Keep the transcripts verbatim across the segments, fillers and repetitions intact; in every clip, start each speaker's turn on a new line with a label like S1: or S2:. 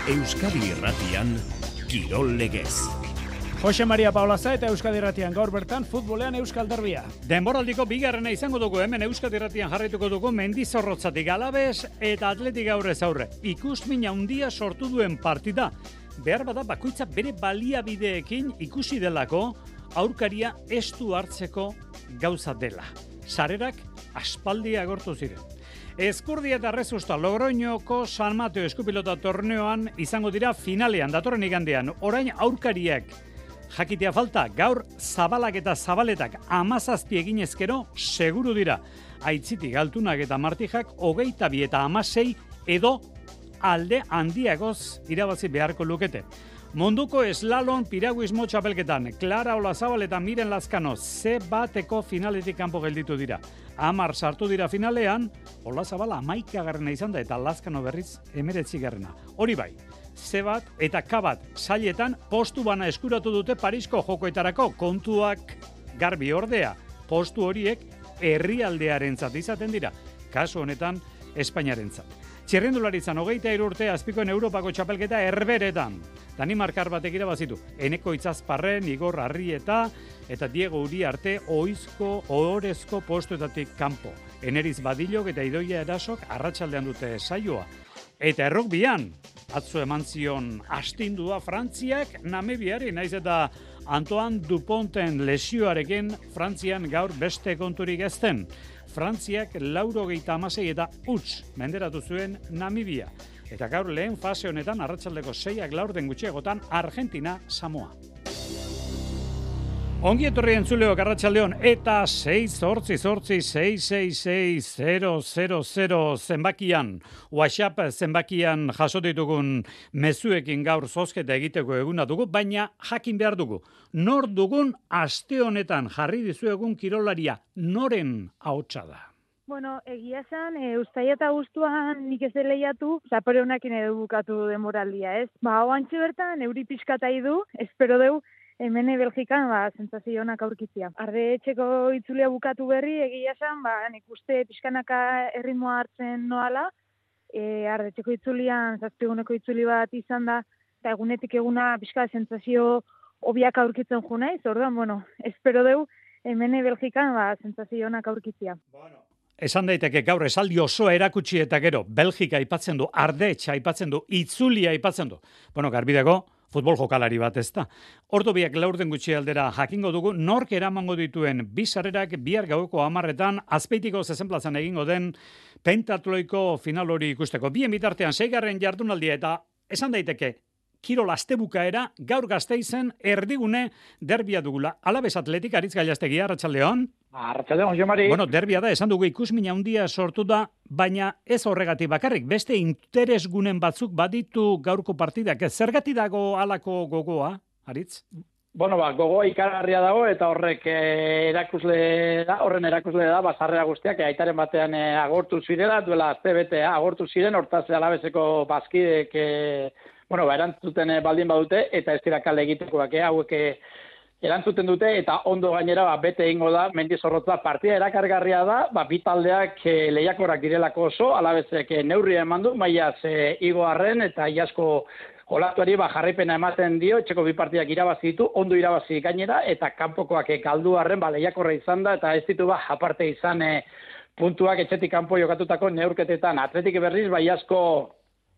S1: Euskadi Irratian, Kirol Legez.
S2: Jose Maria Paulaza eta Euskadi Irratian gaur bertan futbolean Euskal Derbia.
S3: Denboraldiko bigarrena izango dugu hemen Euskadi Irratian jarraituko dugu Mendizorrotzatik Alabes eta Atletik aurrez aurre. Ikusmin handia sortu duen partida. Behar bada bakoitza bere baliabideekin ikusi delako aurkaria estu hartzeko gauza dela. Sarerak aspaldi agortu ziren. Ezkurdia eta Rezusta Logroñoko San Mateo Eskupilota torneoan izango dira finalean, datorren igandean. Orain aurkariak jakitea falta, gaur zabalak eta zabaletak amazazpi egin ezkero seguru dira. Aitzitik Altunak eta Martijak hogeita bi eta hamasei edo alde handiagoz irabazi beharko lukete. Munduko eslalon piraguismo txapelketan, Clara Olazabal eta Miren Lazkano ze bateko finaletik kanpo gelditu dira. Amar sartu dira finalean, Olazabal hamaikagarrena izan da eta Lazkano berriz hemeretzigarrena. Hori bai, ze bat eta K bat sailetan postu bana eskuratu dute Parisko jokoetarako, kontuak garbi ordea. Postu horiek herrialdearentzat izaten dira, kasu honetan Espainiarentzat. Txirrindularitzan hogeita hiru urte azpikoen Europako txapelketa Herberetan. Danimarkar batek irabazitu. Eneko Itzazparren, Igor Arrieta eta Diego Uriarte oizko ohorezko postuetatik kanpo. Eneriz Badilok eta Idoia Erasok arratsaldean dute saioa. Eta errukbian, atzo eman zion astindua Frantziak Namibiari, naiz eta Antoine Duponten lesioarekin Frantzian gaur beste konturik ezten. Frantziak laurogeita hamasei eta huts menderatu zuen Namibia. Eta gaur lehen fase honetan arratsaldeko seiak laurden gutxiagotan Argentina Samoa. Ongi etorri entzuleok arratsaldeon eta sei zortzi zortzi sei sei sei zero zero zero zenbakian, WhatsApp zenbakian jaso ditugun mezuekin gaur zozketa egiteko eguna dugu, baina jakin behar dugu. Nor dugun aste honetan jarri dizuegun kirolaria, noren ahotsa da?
S4: Bueno, egia esan, e, uztaia eta guztuan nik ez lehiatu, zapore honakin edo bukatu demoraldia, ez? Ba, oantxe bertan, euri pixkatai du, espero deu, hemen Belgikan, ba, sentsazio onak aurkitzia. Arde etxeko itzulia bukatu berri, egia esan, ba, nik uste pixkanaka erritmoa hartzen noala, e, arde etxeko itzulian, zazpiguneko itzuli bat izan da, eta egunetik eguna pixka sentsazio obiak aurkitzen jo naiz, orduan, bueno, espero deu, hemen Belgikan, ba, sentsazio onak aurkitzia.
S3: Bueno. Esan daiteke gaur esaldi osoa erakutsi eta gero, Belgika aipatzen du, Ardetx aipatzen du, itzulia aipatzen du. Bueno, garbi dago, futbol jokalari bat ez da. Ordu biak laurden gutxi aldera jakingo dugu, nork eramango dituen bi sarrerak bihar gaueko hamarretan Azpeitiko zezenplazan egingo den pentatloiko final hori ikusteko. Bien bitartean seigarren jardunaldia eta esan daiteke, Kirol astebukaera gaur Gasteizen erdigune derbia dugula. Alabes Atletik Aritz Gailastegi, arratsaldeon.
S5: Arratsaldeon, Jose Mari.
S3: Bueno, derbia da, esan dugu ikusmin handia sortu da, baina ez horregatik bakarrik, beste interesgunen batzuk baditu gaurko partidak. Zergatik dago halako gogoa, Aritz?
S5: Bueno, ba, gogoa ikaragarria dago eta horrek eh, erakusle da, horren erakusle da, bazarrera guztiak, aitaren batean eh, agortu zirela, duela azte bete agortu ziren, hortaz Alabeseko bazkidek eh, bueno, ba, erantzuten baldin badute, eta ez dira kale egitekoak, eh, hauek erantzuten dute, eta ondo gainera ba, bete egingo da, Mendizorrotza partida erakargarria da, ba, bi taldeak eh, lehiakorrak direlako oso, Alabesek eh, neurria eman du, maiaz eh, igo arren, eta iasko olatuari ba, jarraipena ematen dio, etxeko bi partidak irabazi ditu, ondo irabazi gainera, eta kanpokoak eh, galdu arren, ba, lehiakorra izan da, eta ez ditu ba, aparte izan eh, puntuak etxetik kanpo jokatutako neurketetan. Atletik berriz, ba, iasko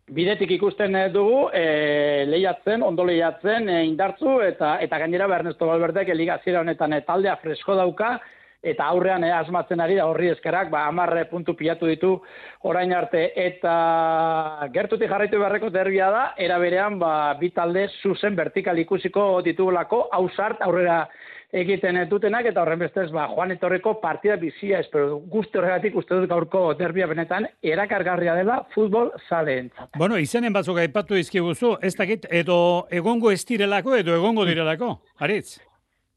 S5: bidetik ikusten dugu, e, lehiatzen, ondo lehiatzen, e, indartzu, eta eta gainera Ernesto Valverdek liga hasiera honetan e, taldea fresko dauka, eta aurrean e, asmatzen ari da horri eskarak, ba, hamar puntu pilatu ditu orain arte, eta gertutik jarraitu beharreko derbia da, era berean, ba, bi talde zuzen vertikal ikusiko ditugulako, hausart aurrera egiten dutenak, eta horren bestez, ba, joan etorreko partida bizia, espero guzti horregatik uste dut gaurko derbia benetan erakargarria dela futbol zaleentzat.
S3: Bueno, izenen batzuk aipatu izkiguzu, ez dakit, edo egongo ez direlako, edo egongo direlako, Aritz?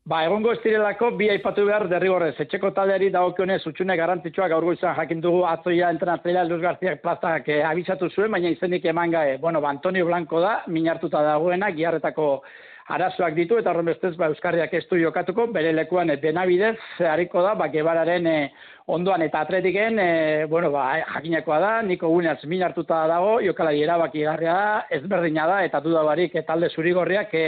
S5: Ba, egongo ez direlako, bi aipatu behar derrigorrez. Etxeko taldeari dagokionez utxune garrantzitsua gaur goizan jakin dugu atzoia entrenatzailea Luis Garziak plazak eh, abisatu zuen, baina izenik eman gae. Bueno, ba, Antonio Blanco da, min hartuta dagoena, Giarretako arazoak ditu, eta horren bestez, ba, Euskarriak ez du jokatuko, bere lekuan Benabidez, hariko da, ba, Gebararen e, ondoan eta Atletiken, e, bueno, ba, jakinakoa da, Niko Guneaz min hartuta dago, jokalari erabaki garria da, ezberdina da, eta duda barik talde zurigorriak e,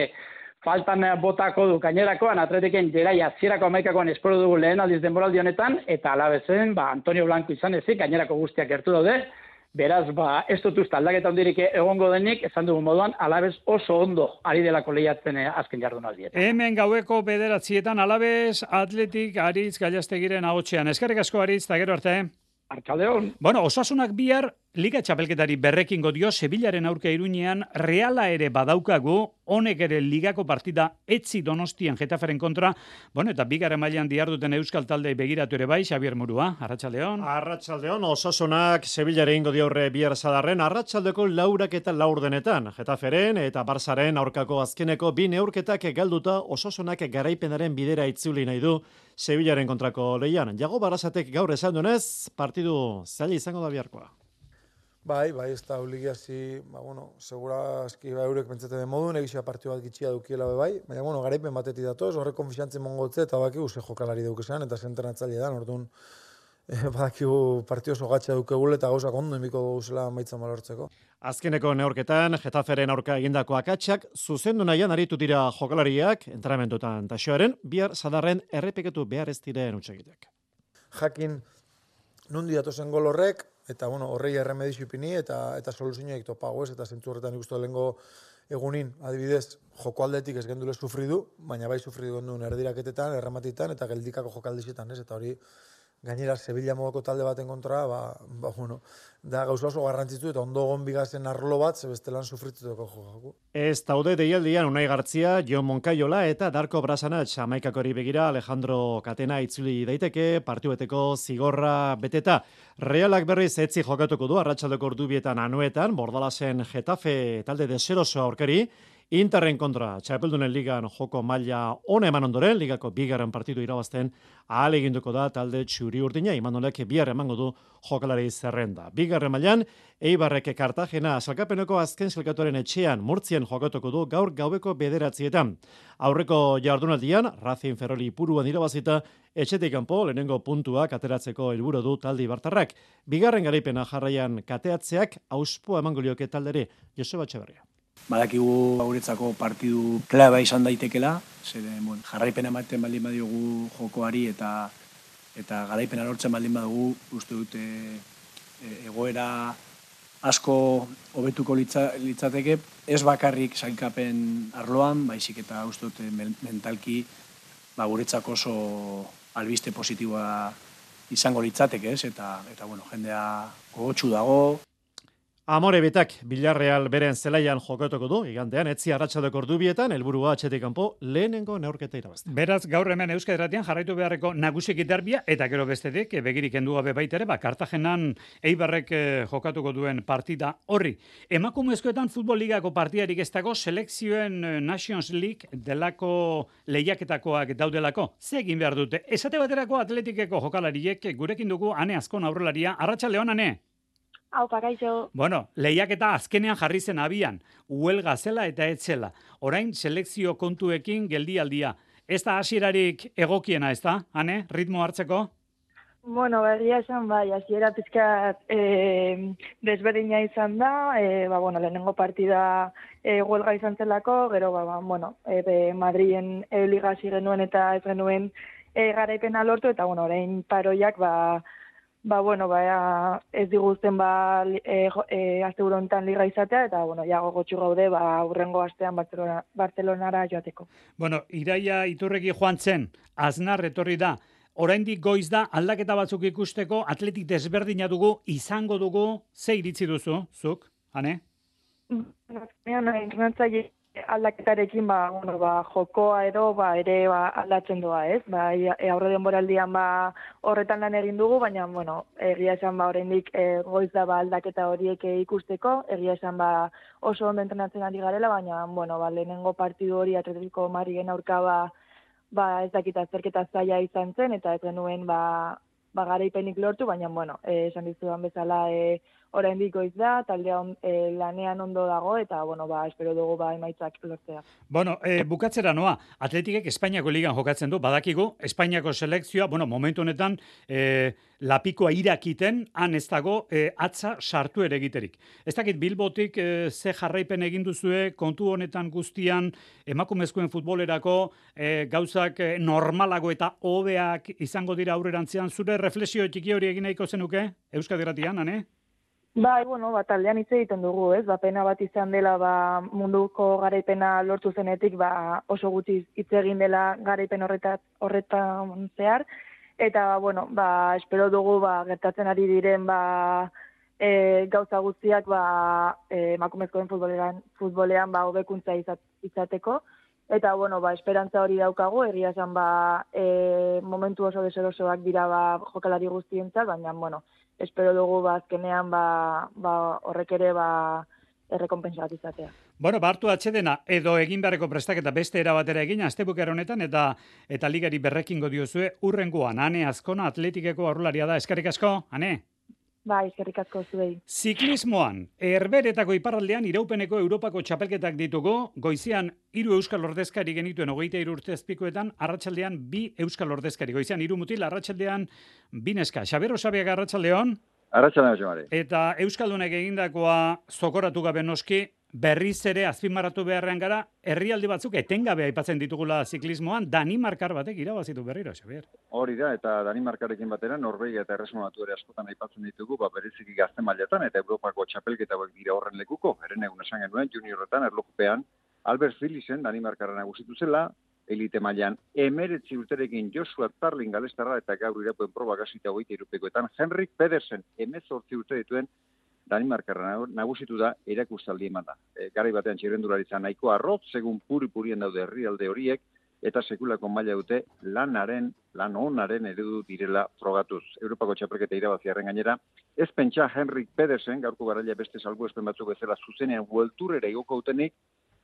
S5: faltan botako du gainerakoan, Atletiken jeraia zierako amaikakoan espero dugu lehen aldiz denboraldi honetan, eta alabezen, ba, Antonio Blanco izan ezik, gainerako guztiak gertu daude. Beraz, ba, ez dut uste aldaketa hondirik egongo denik, esan dugu moduan, Alabez oso ondo ari delako lehiatzen eh, azken jardunaldietan.
S3: Hemen gaueko bederatzietan Alabez, Atletik, Aritz, Gallastegiren ahotsean. Eskerrik asko Aritz, eta gero arte.
S5: Arratsaldeon.
S3: Bueno, Osasunak bihar Liga Txapelketari berrekingo dio Sevillaren aurka Iruñean, Reala ere badaukagu, honek ere ligako partida etzi Donostian Getaferen kontra, bueno, eta bigarren mailan diharduten euskal taldei begiratu ere bai, Xabier Murua, arratsaldeon.
S6: Arratsaldeon, Osasunak Sevillaren ingo dio aurre bihar sadarren, arratsaldeko laurak eta laurdenetan, Getaferen eta Barsaren aurkako azkeneko bi neurketak galduta Osasunak garaipenaren bidera itzuli nahi du Sevillaren kontrako lehian. Jago Barasatek gaur esan duenez, partidu zaila izango da biharkoa.
S7: Bai, bai, ez da obligazi, ba, bueno, segura aski ba, eurek pentsatzen den modun, egizia partio bat gitxia dukiela be bai, baina, bueno, garaipen batetik datoz, horrek konfiantzen mongotze, eta bakigu ze jokalari dukesan, eta zentrenatzaile da, orduan, eh, badakigu partio oso gatxa dukegule, eta gauzak ondo emiko guzela maitza malortzeko.
S6: Azkeneko neorketan, Getaferen aurka egindako akatsak, zuzendu nahian aritu dira jokalariak, entrenamentotan taxoaren, bihar sadarren errepeketu behar ez diren utxegitek.
S7: Jakin, nundi datozen gol horrek, eta bueno, horrei erremedizu ipini eta eta soluzioak topago ez, eta zentzu horretan ikustu lehengo egunin, adibidez, joko aldetik ez gendule sufridu, baina bai sufridu genduen erdiraketetan, errematitan eta geldikako jokaldizetan, ez, eta hori gainera Sevilla modoko talde baten kontra, ba, ba bueno, da gauza oso garrantzitsu eta ondo egon bigazen arlo bat, ze bestelan sufrituteko jokako.
S6: Ez daude deialdian Unai Gartzia, Jon Moncayola eta Darko Brasanatx amaikakori begira Alejandro Catena itzuli daiteke, partibeteko zigorra beteta. Realak berriz etzi jokatuko du, arratsaldeko ordubietan Anoetan, Bordalasen Getafe talde deseroso aurkari, Interren kontra Txapeldunen ligan joko maila ona eman ondoren, ligako bigarren partidu irabazten ahal eginduko da talde txuri urdina, Imanolek bihar emango du jokalari zerrenda. Bigarren mailan, Eibarrek Kartagena salkapeneko azken selkatuaren etxean Murtzien jokatuko du gaur gaueko bederatzietan. Aurreko jardunaldian, Racing Ferroli Puruan irabazita, etxetik kanpo lehenengo puntuak ateratzeko helburu du talde ibartarrak. Bigarren garaipena jarraian kateatzeak auspoa emango lioke talderi, Joseba Etxeberria.
S8: Badakigu guretzako partidu klaba izan daitekela, zeren bueno, jarraipena ematen baldin badiogu jokoari eta eta garaipena lortzen baldin badugu, uste dute egoera asko hobetuko litza, litzateke, ez bakarrik sailkapen arloan, baizik eta uste dute mentalki ba, guretzako oso albiste positiboa izango litzateke, ez? Eta, eta bueno, jendea gogotsu dago.
S6: Amore betak Villarreal beren zelaian jokatuko du, igandean, etzi arratsaldeko ordubietan, helburua atxetik kanpo lehenengo neurketa irabazten.
S3: Beraz, gaur hemen Euskadi Irratian jarraitu beharreko nagusiki derbia, eta gero bestetik, begirik kendu gabe baita ere, ba, Kartagenan Eibarrek eh, jokatuko duen partida horri. Emakumezkoetan futbol ligako partidarik ez dago, selekzioen Nations League delako lehiaketakoak daudelako. Ze egin behar dute? Esate baterako atletikeko jokalariek gurekin dugu Ane Azkon aurrelaria. Arratsaldeon, Ane.
S4: Hau, pakaixo.
S3: Bueno, lehiaketa azkenean jarri zen abian, huelga zela eta etzela. Orain, selekzio kontuekin geldialdia. Ez da hasierarik egokiena, ez da, Ane, ritmo hartzeko?
S4: Bueno, berria esan, bai, hasiera pizkat e, desberdina izan da, e, ba, bueno, lehenengo partida e, huelga izan zelako, gero, ba, ba, bueno, e, Madriden e, liga hasi genuen eta ez genuen e, garaipena lortu, eta, bueno, orain paroiak, ba, Ba, bueno, ba, ez diguzten ba, e, e, azte burontan liga izatea, eta, bueno, ja gogotxu gaude, ba, urrengo astean Barcelona, Barcelonara joateko.
S3: Bueno, Iraia Iturregi joan zen, Aznar etorri da, oraindik goiz da, aldaketa batzuk ikusteko, atletik desberdina dugu, izango dugu, ze iritzi duzu, zuk, Ane?
S4: Entrenatzaile aldaketarekin, ba, bueno, ba, jokoa edo, ba, ere ba, aldatzen doa, ez? Ba, e, aurre denboraldian ba, horretan lan egin dugu, baina, bueno, egia esan ba, oraindik e, goiz da ba, aldaketa horiek ikusteko, egia esan ba, oso ondo entrenatzen ari garela, baina, bueno, ba, lehenengo partidu hori Atletico Madrilen aurka ba, ba, ez dakit azterketa zaila izan zen, eta ez genuen ba, ba, garaipenik lortu, baina, bueno, e, esan dizudan bezala, e, oraindik goiz da, taldea on, e, lanean ondo dago, eta, bueno, ba, espero dugu ba, emaitzak lortzea.
S3: Bueno, e, bukatzera noa, Atletikek Espainiako ligan jokatzen du, badakigu, Espainiako selekzioa, bueno, momentu honetan, e, lapikoa irakiten, han ez dago, e, atza sartu ere egiterik. Ez dakit Bilbotik e, ze jarraipen egin duzue, kontu honetan guztian, emakumezkoen futbolerako, e, gauzak e, normalago eta hobeak izango dira aurrerantzean, zure reflexio txiki hori egin nahiko zenuke, Euskadi Irratian, ane?
S4: Bai, bueno, ba, taldean hitz egiten dugu, ez? Ba, pena bat izan dela, ba, munduko garaipena lortu zenetik, ba, oso gutxi hitz egin dela garaipen horretat, horretan zehar, eta, bueno, ba, espero dugu, ba, gertatzen ari diren, ba, e, gauza guztiak, ba, e, emakumezkoen futbolean, futbolean, ba, hobekuntza izat, izateko, eta, bueno, ba, esperantza hori daukagu, egia esan, ba, e, momentu oso deserosoak dira, ba, jokalari guztientzat, baina, bueno, espero dugu ba, azkenean ba, ba, horrek ere ba, errekonpensa bat izatea.
S3: Bueno, ba, hartu atxedena, edo egin beharreko prestaketa beste erabatera egin, astebukera honetan, eta eta ligari berrekingo diozue, urrengoan, Ane Azkona, Atletikeko aurrelaria da, eskerrik asko, Ane?
S4: Bai, eskerrik asko zuei.
S3: Ziklismoan, Herberetako iparraldean iraupeneko Europako txapelketak ditugu, goizean hiru euskal ordezkari genituen hogeita hiru urte azpikoetan, arratsaldean bi euskal ordezkari, goizean hiru mutil, arratsaldean bi neska. Xabier Osabiaga, arratsaldeon.
S9: Arratsaldeon, Jomari.
S3: Eta euskaldunek egindakoa zokoratu gabe noski, berriz ere azpimarratu beharrean gara, herrialde batzuk etengabe aipatzen ditugula ziklismoan, Danimarkar batek irabazitu berriro, Xabier.
S9: Hori da, eta Danimarkarekin batera, Norvegia eta Erresuma Batu ere askotan aipatzen ditugu, ba, bereziki gazte mailetan eta Europako txapelketa hauek dira horren lekuko, eren egun esan genuen, juniorretan, erlojupean, Albert Philipsen, Danimarkarra nagusitu zela, elite mailan emeretzi urterekin Joshua Tarling galestarra eta gaur irapuen proba gasita hogeita irupekoetan, Henrik Pedersen emezortzi urte dituen Danimarkarra nagusitu da erakustaldi eman da. E, garai batean txirrendularitza nahiko arrot, segun puri-purien daude herrialde horiek, eta sekulako maila dute lanaren, lan onaren eredu direla frogatuz. Europako txapelketa irabaziarren gainera, ez pentsa Henrik Pedersen, gaurko garaia beste salbuespen batzuk bezala zuzenean huelturera igoko utenik,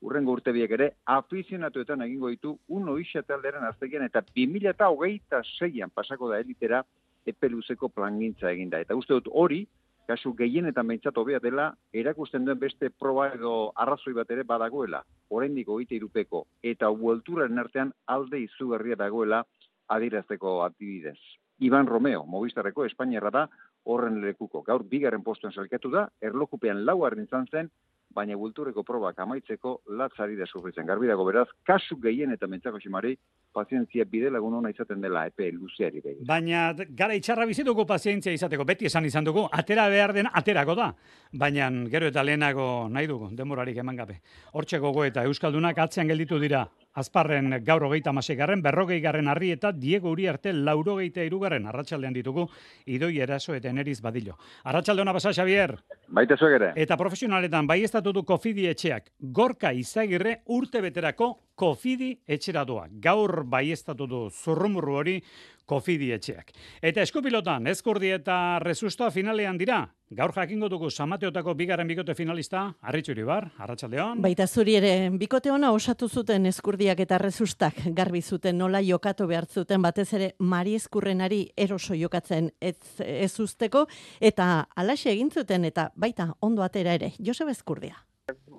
S9: urrengo urtebiek ere, afizionatuetan egingo ditu uno ixate alderen aztegian, eta bi mila hogeita seian pasako da elitera epeluzeko plangintza eginda. Eta uste dut hori, kasu gehienetan behintzat hobea dela, erakusten duen beste proba edo arrazoi bat ere badagoela, oraindik hogeita hirupeko, eta huelturaren artean alde izugarria dagoela adierazteko adibidez. Iban Romeo, Movistarreko Espainiarra da, horren lekuko. Gaur bigarren postuen salkatu da, erlojupean laugarren izan zen, baina bulturreko probak amaitzeko latzari da sufritzen. Garbi dago beraz, kasu gehien eta mentzako ximari, pazientzia bide lagun hona izaten dela epe luzeari behin.
S3: Baina gara itxarra bizituko pazientzia izateko, beti esan izan dugu, atera behar den aterako da. Baina gero eta lehenago nahi dugu, denborarik eman gabe. Hortxe gogo eta Euskaldunak atzean gelditu dira. Azparren gaur hogeita hamaseigarren, berrogei garren harri eta Diego Uriarte laurogeita hirugarren arratsaldean ditugu Idoi Eraso eta Eneriz Badillo. Arratsalde ona pasa, Xabier.
S9: Baita zuek ere.
S3: Eta profesionaletan baieztatu du Kofidi etxeak. Gorka Izagirre urte beterako Kofidi etxera doa. Gaur baieztatu du zurrumurru hori Kofidi etxeak. Eta eskupilotan, Ezkurdi eta Resusta finalean dira. Gaur jakingo dugu Samateotako bigarren bikote finalista, Arritxu Iribar, arratsaldeon.
S10: Baita zuri ere, bikote ona osatu zuten Ezkurdiak eta Resustak, garbi zuten nola jokatu behar zuten, batez ere Mari Ezkurrenari eroso jokatzen ez, ez usteko, eta alaxe egin zuten, eta baita ondo atera ere, Joseba Ezkurdia.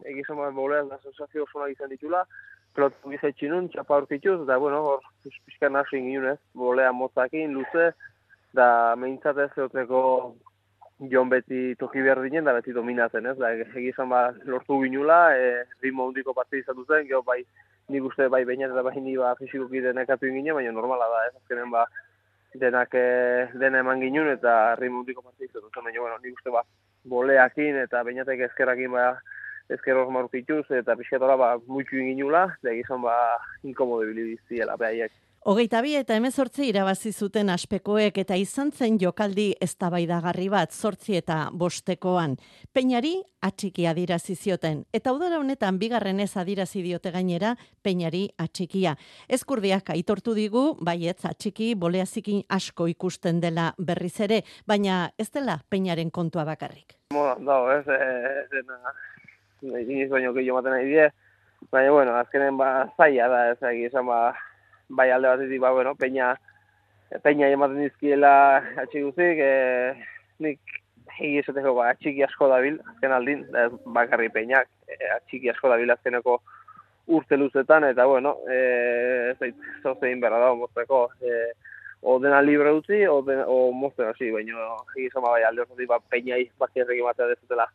S11: Egizan bat bolean da sensazio oso izan ditula, pelotu gizaitxinun, txapa aurkituz, da, bueno, hor, pixkan hasi ginunez, bolea motzakin, luze, da, meintzat ez zeoteko Jon beti toki behar dinen, da beti dominatzen, ez? Da, egizan ba, lortu ginula, e, ritmo hundiko partida izatu zen, geho bai, nik uste bai bainat eta bai ni ba, fizikoki denekatu ginen, baina normala da, ez? Azkenen ba, denak e, dena eman ginun eta ritmo hundiko partida izatu zen, baina, bueno, nik uste ba, boleakin eta bainatek ezkerrakin ba, ezker hor marukituz, eta pixkatola ba, muitu ginula, da egizan ba, inkomode bilibiziela, behaiek.
S10: Hogeita bi eta hemezortzi irabazi zuten aspekoek eta izan zen jokaldi eztabaidagarri bat zortzi eta bostekoan. Peñari atxiki adirazi zioten. Eta udara honetan bigarren ez adirazi diote gainera Peñari atxikia. Ezkurdiak aitortu digu, baietz atxiki boleazikin asko ikusten dela berriz ere, baina ez dela Peñaren kontua bakarrik.
S11: Bueno, dago, ez, ez dena, iniz baino gehiago maten nahi die, baina, bueno, azkenen ba, zaila da, ez egizan ba, bai alde batetik, ba, bueno, peña, peña ematen dizkiela atxiguzik, e, nik egi esateko ba, atxiki asko dabil, azken aldin, da, bakarri peinak, e, atxiki asko dabil azkeneko urte luzetan, eta bueno, e, ez dait, zauzein berra da, mozteko, e, o dena libre dutzi, o, o mozten hasi, baina egi zoma bai alde horretik, ba, peinai bakierrek ematea dezutela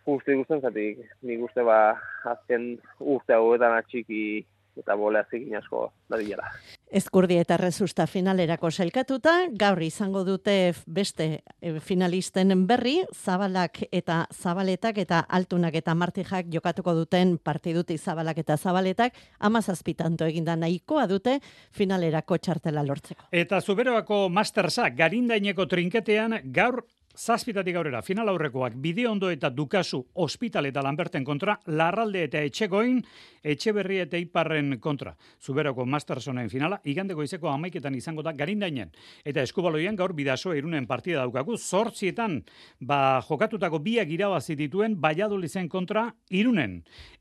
S11: guzti guztien, zatik, nik uste ba, azken urte hauetan atxiki eta bolea zikin asko dadila.
S10: Ezkurdi eta Resusta finalerako sailkatuta, gaur izango dute beste finalisten berri, Zabalak eta Zabaletak eta Altunak eta Martijak jokatuko duten partiduti Zabalak eta Zabaletak, hamazazpi tanto eginda nahikoa dute finalerako txartela lortzeko.
S3: Eta Zuberoako Mastersa garindaineko trinketean gaur zazpitatik aurrera, final aurrekoak, Bideondo eta Dukasu, Ospital eta Lanberten kontra, Larralde eta Etxegoin, Etxeberri eta Iparren kontra. Zuberoko Mastersonen finala, igandeko izeko amaiketan izango da garindainen. Eta Eskubaloian gaur Bidasoa Irunen partida daukagu, zortzietan, ba, jokatutako biak irabazi dituen Valladoliden kontra Irunen.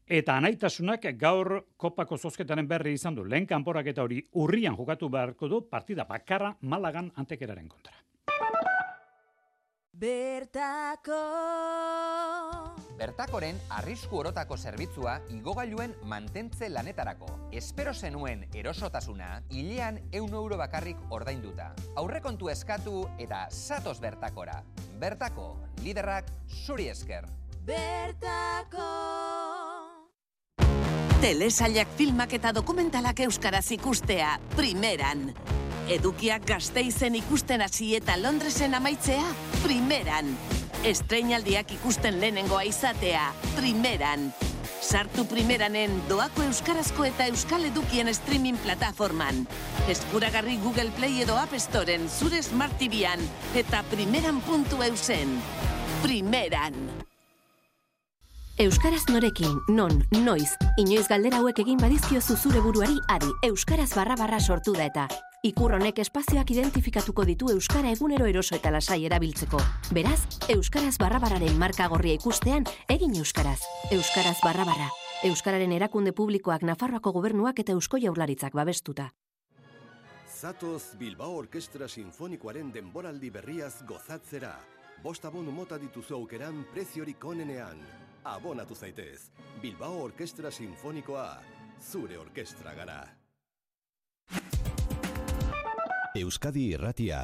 S3: Eta anaitasunak gaur kopako zozketaren berri izan du. Lehen kanporak eta hori urrian jokatu beharko du partida bakarra Malagan Antekeraren kontra.
S12: Bertako
S13: Bertakoren arrisku orotako zerbitzua igogailuen mantentze lanetarako. Espero zenuen erosotasuna, hilean ehun euro bakarrik ordainduta. Aurrekontu eskatu eta zatoz Bertakora. Bertako, liderrak zuri esker.
S12: Bertako
S14: Telesailak filmak eta dokumentalak euskaraz ikustea, primeran. Edukiak Gasteizen ikusten hasi eta Londresen amaitzea, primeran. Estreinaldiak ikusten lehenengoa izatea, primeran. Sartu primeranen doako euskarazko eta euskal edukien streaming plataforman. Eskuragarri Google Play edo App Storen zure Smart T V-an eta primeran puntu eusen. Primeran.
S15: Euskaraz norekin, non, noiz, inoiz galdera hauek egin badizkiozu zure buruari adi, euskaraz barra barra sortu da eta. Ikur honek espazioak identifikatuko ditu euskara egunero eroso eta lasai erabiltzeko. Beraz, euskaraz barra barraren marka gorria ikustean, egin euskaraz. Euskaraz barra barra. Euskararen erakunde publikoak Nafarroako gobernuak eta Eusko Jaurlaritzak babestuta.
S16: Zatoz Bilbao Orkestra Sinfonikoaren denboraldi berriaz gozatzera. Bost abonu mota dituzu aukeran preziorik onenean. Abonatu zaitez. Bilbao Orkestra Sinfonikoa. Zure orkestra gara.
S1: Euskadi Irratia.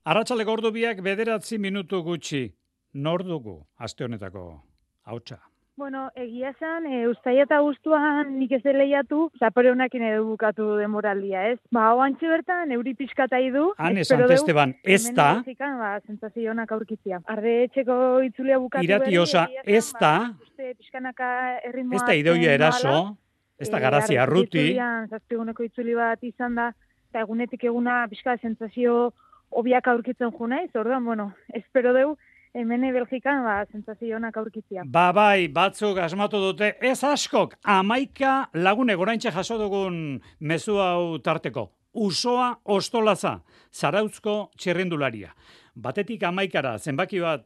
S3: Arratsaleko ordu biak bederatzi minutu gutxi. Nor dugu aste honetako hautsa?
S4: Bueno, egia esan, e, uztaila eta guztuan nik ez lehiatu, zapore honakin edo bukatu demoraldia, ez? Ba, oantxe bertan, euri pixkatai du.
S3: Han esan Esteban, ez da.
S4: Ba, sentsazio honak aurkitzia. Arde etxeko itzulia bukatu.
S3: Irati osa, ez da. Ez da idoia eraso, ez da garazia arruti.
S4: Zazpiguneko itzuli bat izan da, eta egunetik eguna pixka sentsazio obiak aurkitzen jo naiz, orduan, bueno, espero deu, hemen Belgikan, ba, sentsazio honak aurkitzia.
S3: Ba, bai, batzuk asmatu dute, ez askok, amaika lagune goraintxe jaso dugun mezu hau tarteko. Usoa Ostolaza, Zarautzko txirrindularia. Batetik amaikara, zenbaki bat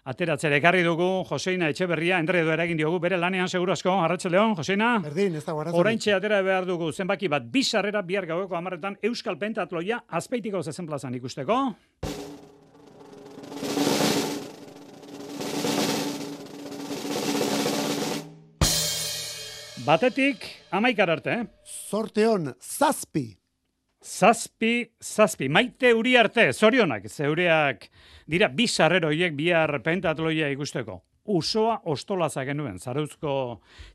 S3: ateratzera ekarri dugu, Joseina Etxeberria, enredo eragin diogu, bere lanean segurazko, Arratsaldeon, Joseina.
S17: Berdin, ez da guarratzen.
S3: Oraintxe atera behar dugu, zenbaki bat, bi sarrera bihar gaueko hamarretan, Euskal Pentatloia, Azpeitiko zezen plazan ikusteko. Batetik, amaikar arte, eh?
S17: Zorteon, zazpi.
S3: Zazpi, zazpi. Maite Uriarte, zorionak, zeureak dira bi sarreroiek bihar pentatloia ikusteko. Usoa Ostolaza genuen, Zarauzko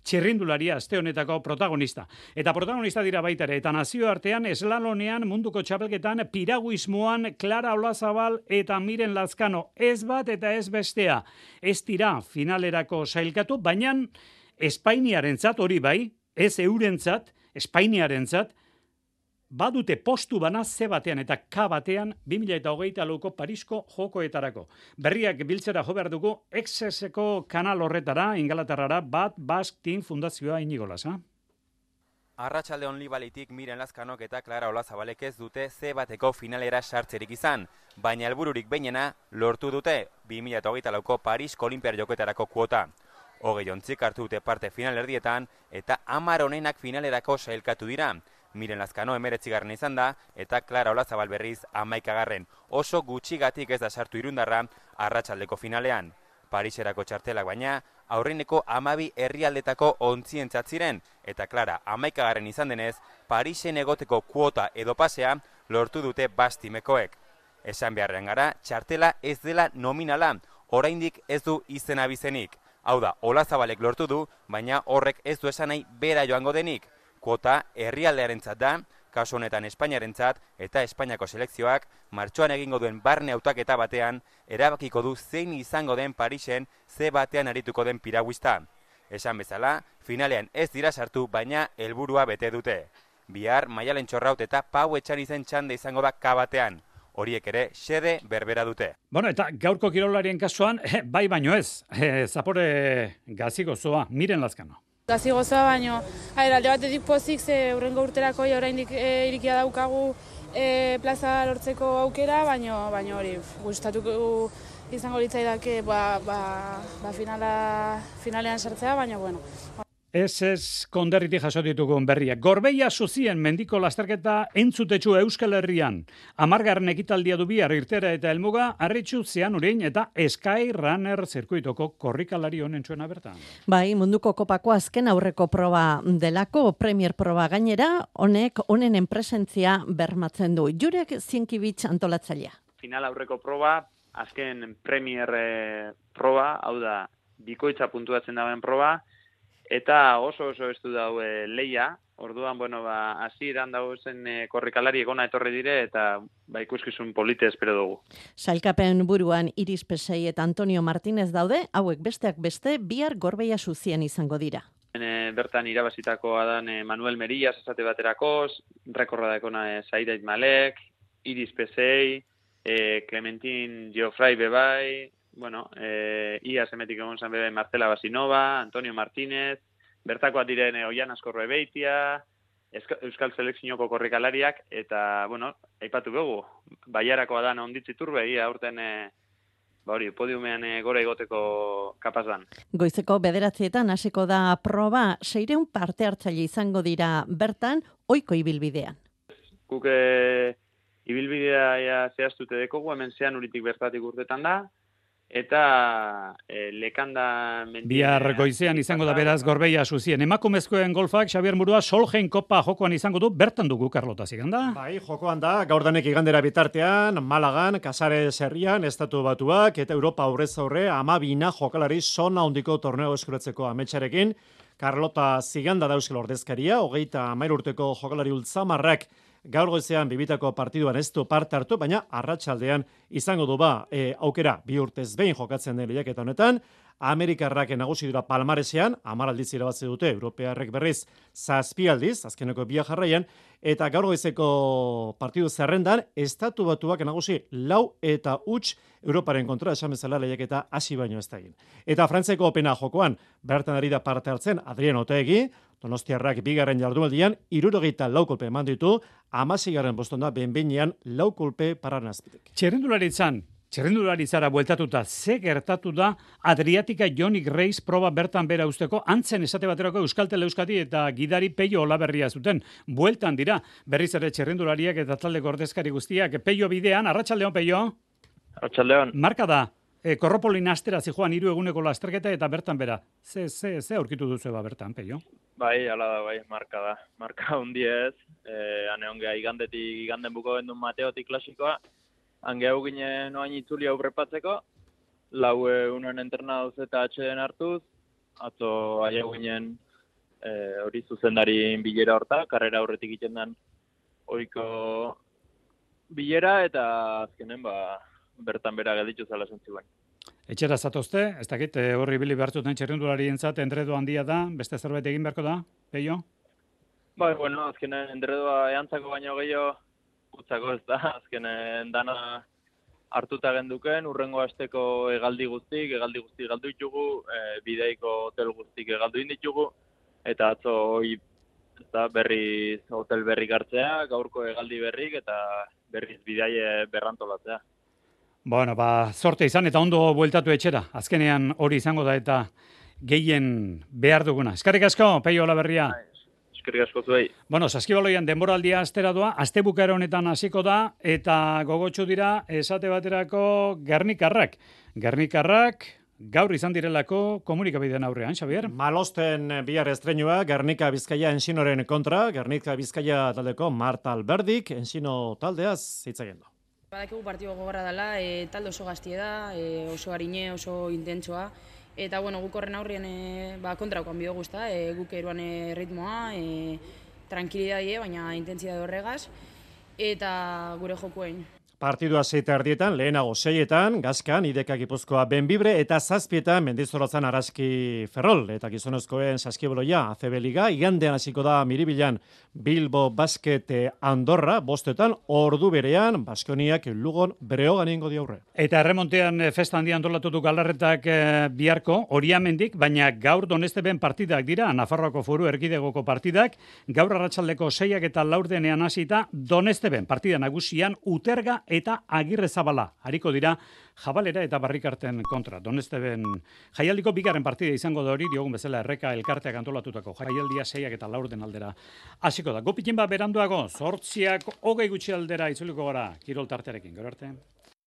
S3: txirrindularia aste honetako protagonista. Eta protagonista dira baita ere, eta nazioartean eslalonean munduko txapelketan piraguismoan Clara Olazabal eta Miren Lazkano ez bat eta ez bestea. Ez dira finalerako sailkatu, baina Espainiarentzat hori bai, ez eurentzat, Espainiarentzat, badute postu bana ze batean eta K batean bi mila hogeita lauko Parisko jokoetarako. Berriak biltzera jo behar dugu Exeseko kanal horretara, Ingalaterrara, Bat Basque Team Fundazioa Inigolas, ha?
S18: Arratsaldeon Libalitik Miren Lazkanok eta Clara Olazabalek ez dute ze bateko finalera sartzerik izan, baina helbururik behinena lortu dute bi mila hogeita lauko Parisko Olinpiar jokoetarako kuota. Hogei ontzik hartu dute parte finalerdietan eta hamar onenak finalerako sailkatu dira. Miren Lazkano emeretzigarren izan da, eta Clara Olazabal berriz hamaikagarren. Oso gutxigatik ez da sartu irundarra arratsaldeko finalean. Pariserako txartelak baina, aurreneko hamabi herrialdetako ontzientzat ziren, eta Clara hamaikagarren izan denez, Parisen egoteko kuota edo pasea lortu dute bastimekoek. Esan beharrean gara, txartela ez dela nominala, oraindik ez du izena bizenik. Hau da, Olazabalek lortu du, baina horrek ez du esan nahi bera joango denik. Kuota herrialdearentzat da, kasu honetan Espainiarentzat eta Espainiako selekzioak martxoan egingo duen barne hautaketa batean erabakiko du zein izango den Parisen ze batean arituko den piraguista. Esan bezala, finalean ez dira sartu, baina helburua bete dute. Bihar Maialen Txorraut eta Pau Etxanizen txanda izango da K batean. Horiek ere xede berbera dute.
S3: Bueno, eta gaurko kirolarien kasuan, eh, bai baino ez, eh, zapore gazi gozoa, Miren Lazkano.
S19: Gazi gozoa baino, haer, alde batetik pozik, ze urrengo urterako oraindik e, irikia daukagu e, plaza lortzeko aukera, baino, baino hori gustatuko izango litzaidake ba, ba, ba finala, finalean sartzea, baina bueno.
S3: Ez ez konderritik jaso ditugun berriak. Gorbeia Zuzien mendiko lasterketa entzutetxu Euskal Herrian. Amargarren ekitaldia du bihar irtera eta helmuga, Arritxu Zeanurin eta Sky Runner zirkuitoko korrikalari honen txuena bertan.
S10: Bai, munduko kopako azken aurreko proba delako, premier proba gainera, honek honen enpresentzia bermatzen du. Jurek Zienkibitz antolatzailea.
S20: Final aurreko proba, azken premier eh, proba, hau da, bikoitza puntuatzen dauen proba, eta oso oso estu dau e, leia, orduan, bueno, ba, hasieran dago zen e, korrikalari egona etorri dire, eta ba, ikuskizun polite espero dugu.
S10: Sailkapen buruan Iris Pesei eta Antonio Martinez daude, hauek besteak beste, bihar Gorbeia Zuzien izango dira.
S20: E, bertan irabazitakoa dan e, Manuel Merillas esate baterakoz, rekorra daikona e, Zaidait Malek, Iris Pesei, e, Clementin Geoffrey Bebai, bueno, eh, ia semetik egon zan bebe Marcela Basinova, Antonio Martínez, bertakoak diren eh, Oian Askorro Ebeitia, Euskal Selekzioko korrikalariak, eta, bueno, aipatu begu, Baiarakoa dan onditzi turbe, ia aurten, eh, ba hori, podiumean eh, gora igoteko kapazan.
S10: Goizeko bederatzietan hasiko da proba, seireun parte hartzaile izango dira bertan, ohiko ibilbidean.
S20: Guk eh, ibilbidea zehaztute dekogu, hemen zean uritik bertatik urtetan da, eta e, lekanda mendien...
S3: Bihar goizean izango da beraz Gorbeia Zuzien. Emakumezkoen golfak Xabier Murua Solheim Kopa jokoan izango du, bertan dugu Karlota ziganda.
S6: Bai, jokoan da, gaurdanek igandera bitartean, Malagan, Casares herrian, Estatu Batuak eta Europa aurrez aurre amabina jokalari sona hondiko torneo eskuratzeko ametsarekin. Karlota ziganda da euskal ordezkaria, hogeita amair urteko jokalari ultzamarrak gaur goizean bibitako partiduan ez du parte hartu, baina arratsaldean izango du ba e, aukera bi urtez behin jokatzen den lehiaketa honetan. Amerikarrak nagusi dira palmaresean, hamar aldiz irabazi dute, Europearrek berriz zazpi aldiz, azkeneko bia jarraian, eta gaur goizeko partidu zerrendan, Estatu Batuak nagusi lau eta huts Europaren kontra esan bezala lehiaketa hasi baino ez da egin. Eta Frantziako opena jokoan, bertan ari da parte hartzen Adrian Otegi, Donostiarrak bigarren jardunaldian hirurogeita lau kolpe eman ditu, hamaseigarren poston da behin-behinean lau kolpe paran azpitik.
S3: Txerrendularitzan, txerrendularitzara bueltatuta, ze gertatu da Adriatika Jonik Reis proba bertan bera usteko, antzen esate baterako Euskaltel Euskadi eta gidari Peio Olaberria zuten. Bueltan dira, berriz ere txerrendulariak eta taldeko ordezkari guztiak. Peio bidean, arratsaldeon Peio?
S20: Arratsaldeon.
S3: Marka da, e, Korropolin astera zijoan hiru eguneko lasterketa eta bertan bera. Ze, ze, ze aurkitu duzu eba bertan, Peio?
S21: Bai, ala da, bai, marka da. Marka hundi ez, e, ane ongea igandetik, iganden buko gendun Mateotik klasikoa, hange hau ginen oain itzuli hau prepatzeko, lau unen entrenadoz eta atxeden hartuz, atzo aia ginen hori e, zuzendari bilera horta, karrera horretik iten den oiko bilera, eta azkenen ba, bertan bera gelditu zala zentzuen.
S3: Etxera zatozte, ez dakit, horri bili behartuten txerrendulari entzat, endredo handia da, beste zerbait egin beharko da, Peio?
S21: Bai, bueno, azkenen endredoa eantzako baino gehiago, utzako ez da, azkenen dana hartuta genduken, urrengo asteko hegaldi guztik, hegaldi guztik galdu ditugu, e, bideiko hotel guztik hegaldu inditugu, eta atzo hoi ez da, berriz hotel berrik hartzea, gaurko hegaldi berrik, eta berriz bidaie berrantolatzea.
S3: Bueno, ba, sorte izan eta ondo bueltatu etxera. Azkenean hori izango da eta gehien behar duguna. Eskerrik asko, Peio Olaberria.
S21: eskerrik asko zuei.
S3: Bueno, saskibaloian denboraldia astera doa, astebukaera honetan hasiko da, eta gogotsu dira, esate baterako Gernikarrak. Gernikarrak, gaur izan direlako komunikabidean aurrean, Xabier?
S6: Malosten bihar estreinua Gernika Bizkaia Ensinoren kontra, Gernika Bizkaia taldeko Marta Alberdik, Ensino taldeaz hitz egin du.
S2: Badakigu partido gogorra dela, e, talde oso gaztie da, e, oso harine, oso intentsoa, eta bueno, guk horren aurrien e, ba, kontraukoan biogu ezta, e, guk eruan e, ritmoa, e, tranquilidadie, baina intentsitate horregaz, eta gure jokuen.
S6: Partidua seita erdietan, lehenago seietan, Gazkan, Ideka Gipuzkoa Benbibre, eta zazpietan Mendizorrotzan Araski Ferrol, eta gizonezkoen saskiboloia A C B Liga, igandean hasiko da Miribilan Bilbo Basket Andorra, bostetan, ordu berean, Baskoniak Lugon Breogan ingo di aurre.
S3: Eta erremontean festa handia antolatutu galarretak e, biharko, Oriamendik, baina gaur Donesteben partidak dira, Nafarroako Foru Erkidegoko partidak, gaur arratsaldeko seiak eta laurdenean hasita Donesteben partida nagusian Uterga eta Agirrezabala. Hariko dira Jabalera eta Barrikarten kontra. Donesteben jaialdiko bigarren partida izango da hori, diogun bezala Erreka elkarteak antolatutako jaialdia seiak eta laurden aldera. Hasiko da. Gopikin bat beranduago, zortziak hogei gutxi aldera itzuliko gara kirol tartearekin. Gero arte.